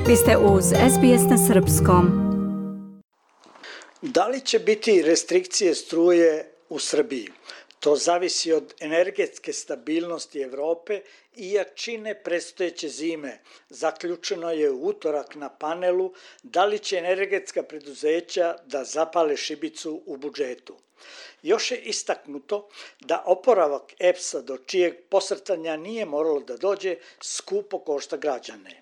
Vi ste uz SBS na srpskom. Da li će biti restrikcije struje u Srbiji? To zavisi od energetske stabilnosti Evrope i jačine predstojeće zime. Zaključeno je u utorak na panelu da li će energetska preduzeća da zapale šibicu u budžetu. Još je istaknuto da oporavak EPS-a do čijeg posrtanja nije moralo da dođe skupo košta građane.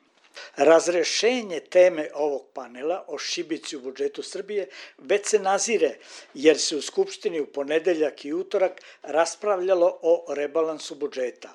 Razrešenje teme ovog panela o šibici u budžetu Srbije već se nazire, jer se u Skupštini u ponedeljak i utorak raspravljalo o rebalansu budžeta.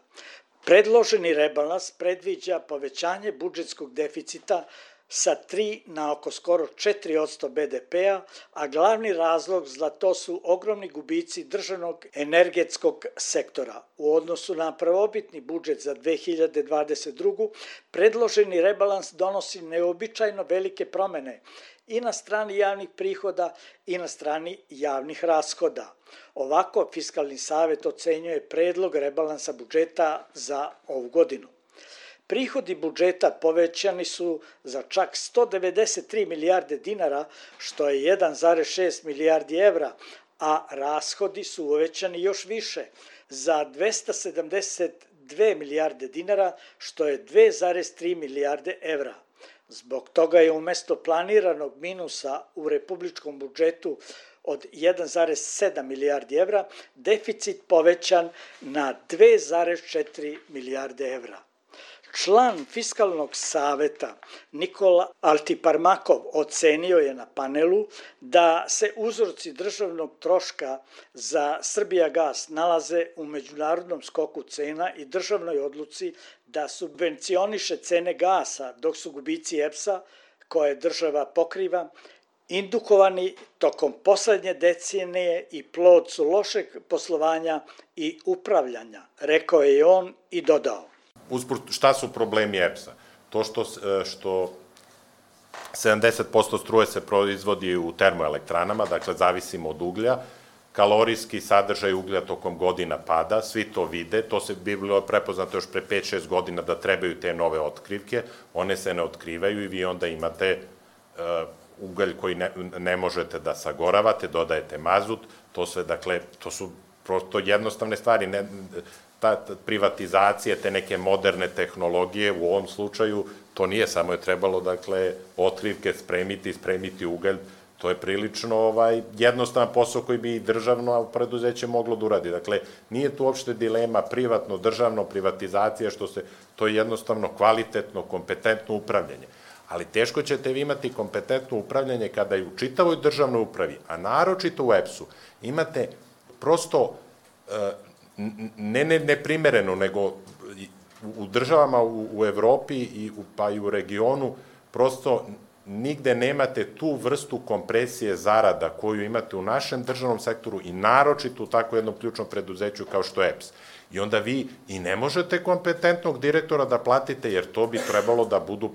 Predloženi rebalans predviđa povećanje budžetskog deficita sa 3 na oko skoro 4% BDP-a, a glavni razlog za to su ogromni gubici državnog energetskog sektora. U odnosu na prvobitni budžet za 2022. predloženi rebalans donosi neobičajno velike promene i na strani javnih prihoda i na strani javnih rashoda. Ovako, Fiskalni savet ocenjuje predlog rebalansa budžeta za ovu godinu. Prihodi budžeta povećani su za čak 193 milijarde dinara, što je 1,6 milijardi evra, a rashodi su uvećani još više, za 272 milijarde dinara, što je 2,3 milijarde evra. Zbog toga je umesto planiranog minusa u republičkom budžetu od 1,7 milijardi evra, deficit povećan na 2,4 milijarde evra. Član Fiskalnog saveta Nikola Altiparmakov ocenio je na panelu da se uzroci državnog troška za Srbijagas nalaze u međunarodnom skoku cena i državnoj odluci da subvencioniše cene gasa, dok su gubici EPS-a, koje država pokriva, indukovani tokom poslednje decenije i plod su lošeg poslovanja i upravljanja, rekao je on i dodao. Usput, šta su problemi EPS-a? To što 70% struje se proizvodi u termoelektranama, dakle zavisimo od uglja, kalorijski sadržaj uglja tokom godina pada, svi to vide, to se bi bilo prepoznato još pre 5-6 godina da trebaju te nove otkrivke, one se ne otkrivaju i vi onda imate ugalj koji ne možete da sagoravate, dodajete mazut, to sve, dakle, to su prosto jednostavne stvari, ta privatizacija, te neke moderne tehnologije, u ovom slučaju, to nije samo je trebalo, dakle, otkrivke spremiti ugalj, to je prilično jednostavan posao koji bi i državno preduzeće moglo da uradi. Dakle, nije tu uopšte dilema privatno, državno, privatizacija, to je jednostavno kvalitetno, kompetentno upravljanje. Ali teško ćete vi imati kompetentno upravljanje kada i u čitavoj državnoj upravi, a naročito u EPS-u, imate prosto ne neprimereno, nego u državama u Evropi pa i u regionu, prosto nigde nemate tu vrstu kompresije zarada koju imate u našem državnom sektoru i naročito u tako jednom ključnom preduzeću kao što je EPS. I onda vi i ne možete kompetentnog direktora da platite, jer to bi trebalo da budu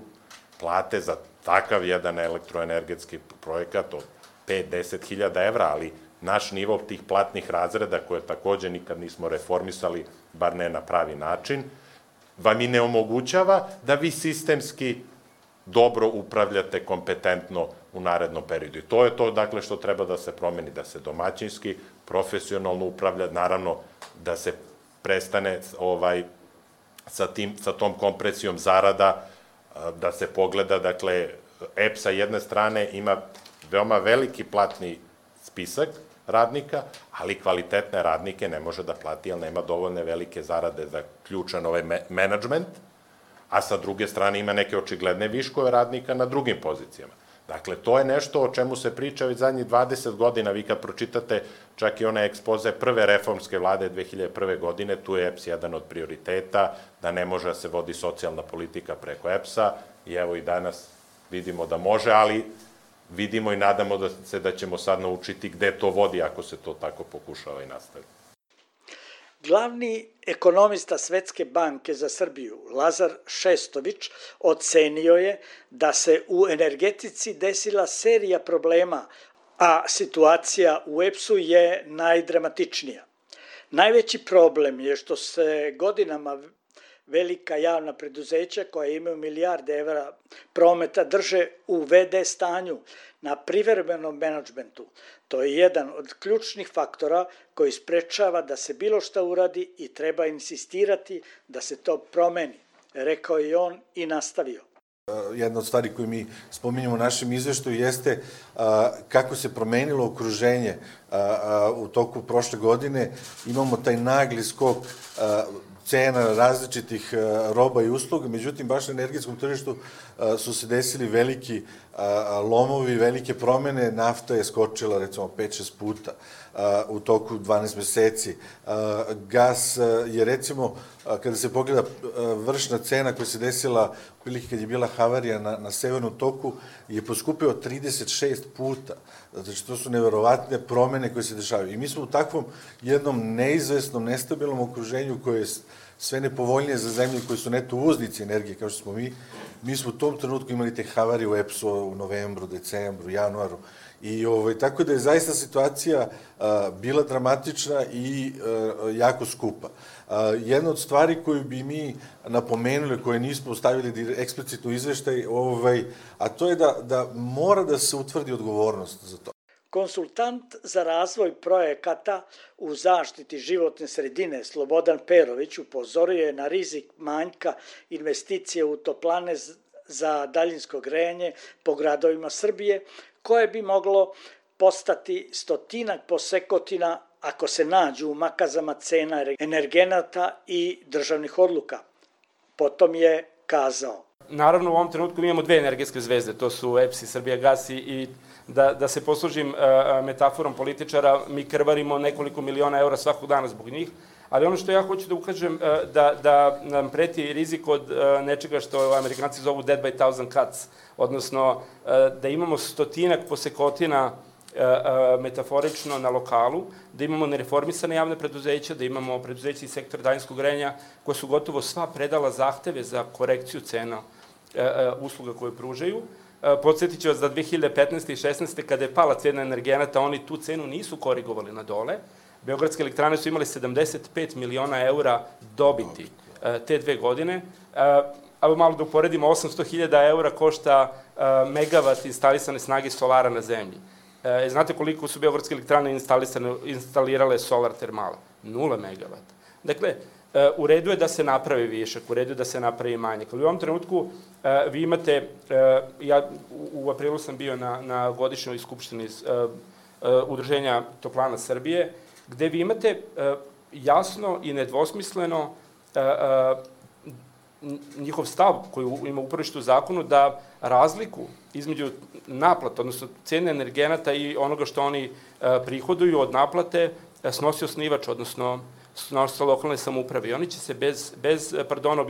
plate za takav jedan elektroenergetski projekat od 5-10 hiljada evra, ali naš nivo tih platnih razreda, koje takođe nikad nismo reformisali, bar ne na pravi način, vam i ne omogućava da vi sistemski dobro upravljate kompetentno u narednom periodu. I to je to, dakle, što treba da se promeni, da se domaćinski, profesionalno upravlja, naravno da se prestane sa tom kompresijom zarada, da se pogleda, dakle, EPS sa jedne strane ima veoma veliki platni spisak radnika, ali kvalitetne radnike ne može da plati, jer nema dovoljne velike zarade za ključan menadžment, a sa druge strane ima neke očigledne viškove radnika na drugim pozicijama. Dakle, to je nešto o čemu se priča već zadnjih 20 godina. Vi kad pročitate čak i one ekspoze prve reformske vlade 2001. godine, tu je EPS jedan od prioriteta, da ne može da se vodi socijalna politika preko EPS-a, i evo i danas vidimo da može, ali vidimo i nadamo se da ćemo sad naučiti gde to vodi ako se to tako pokušava i nastavi. Glavni ekonomista Svetske banke za Srbiju, Lazar Šestović, ocenio je da se u energetici desila serija problema, a situacija u EPS-u je najdramatičnija. Najveći problem je što se godinama velika javna preduzeća koja imaju milijarde evra prometa drže u VD stanju na privremenom menadžmentu. To je jedan od ključnih faktora koji sprečava da se bilo šta uradi i treba insistirati da se to promeni, rekao je on i nastavio. Jedna od stvari koju mi spominjamo u našem izveštaju jeste kako se promenilo okruženje u toku prošle godine. Imamo taj nagli skok cena različitih roba i usluga, međutim, baš na energetskom tržištu su se desili veliki lomovi, velike promene, nafta je skočila recimo 5-6 puta u toku 12 meseci. Gas je recimo, kada se pogleda vršna cena koja se desila prilike kad je bila havarija na severnom toku, je poskupio 36 puta. Znači, to su neverovatne promene koje se dešavaju. I mi smo u takvom jednom neizvesnom, nestabilnom okruženju koje je sve nepovoljnije za zemlje koji su neto uvoznici energije, kao što smo mi. Mi smo u tom trenutku imali te havarije u EPS-u u novembru, decembru, januaru. I tako da je zaista situacija bila dramatična i jako skupa. Jedna od stvari koju bi mi napomenuli, koje nismo stavili eksplicitno u izveštaj, a to je da mora da se utvrdi odgovornost za to. Konsultant za razvoj projekata u zaštiti životne sredine Slobodan Perović upozorio je na rizik manjka investicije u toplane za daljinsko grejanje po gradovima Srbije, koje bi moglo postati 100 posekotina ako se nađu u makazama cena energenata i državnih odluka. Potom je kazao. Naravno, u ovom trenutku mi imamo dve energetske zvezde, to su EPS i Srbijagas i da se poslužim metaforom političara, mi krvarimo nekoliko miliona eura svakog dana zbog njih, ali ono što ja hoću da ukažem da nam preti rizik od nečega što Amerikanci zovu dead by thousand cuts, odnosno da imamo 100 posekotina metaforično na lokalu, da imamo nereformisane javne preduzeća, da imamo preduzeća iz sektora daljinskog grejanja koja su gotovo sva predala zahteve za korekciju cena usluga koje pružaju. Podsjetit ću vas da 2015. i 2016. kada je pala cena energenata, oni tu cenu nisu korigovali na dole. Beogradske elektrane su imali 75 miliona eura dobiti te 2 godine. Ali malo da uporedimo, 800.000 eura košta megavat instalisane snage solara na zemlji. Znate koliko su beogradske elektrane instalirale solar termala? 0 megavata. Dakle, u redu je da se napravi višak, u redu je da se napravi manjak. Ali u ovom trenutku vi imate, ja u aprilu sam bio na godišnjoj skupštini Udruženja toplana Srbije, gde vi imate jasno i nedvosmisleno njihov stav koji ima uporište u zakonu da razliku između naplata, odnosno cene energenata i onoga što oni prihoduju od naplate snosi osnivač, odnosno snosi lokalne samouprave. I oni će se bez pardona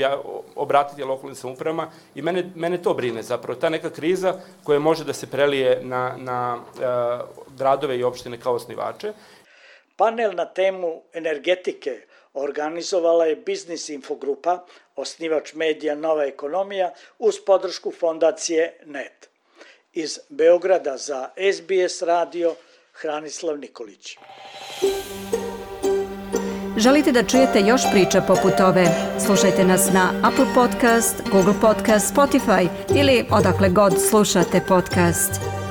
obratiti lokalnim samoupravama i mene to brine zapravo. Ta neka kriza koja može da se prelije na gradove i opštine kao osnivače. Panel na temu energetike organizovala je Biznis Infogrupa, osnivač medija Nova ekonomija, uz podršku fondacije NET. Iz Beograda za SBS radio, Hranislav Nikolić. Želite da čujete još priča poput ove? Slušajte nas na Apple Podcast, Google Podcast, Spotify ili odakle god slušate podcast.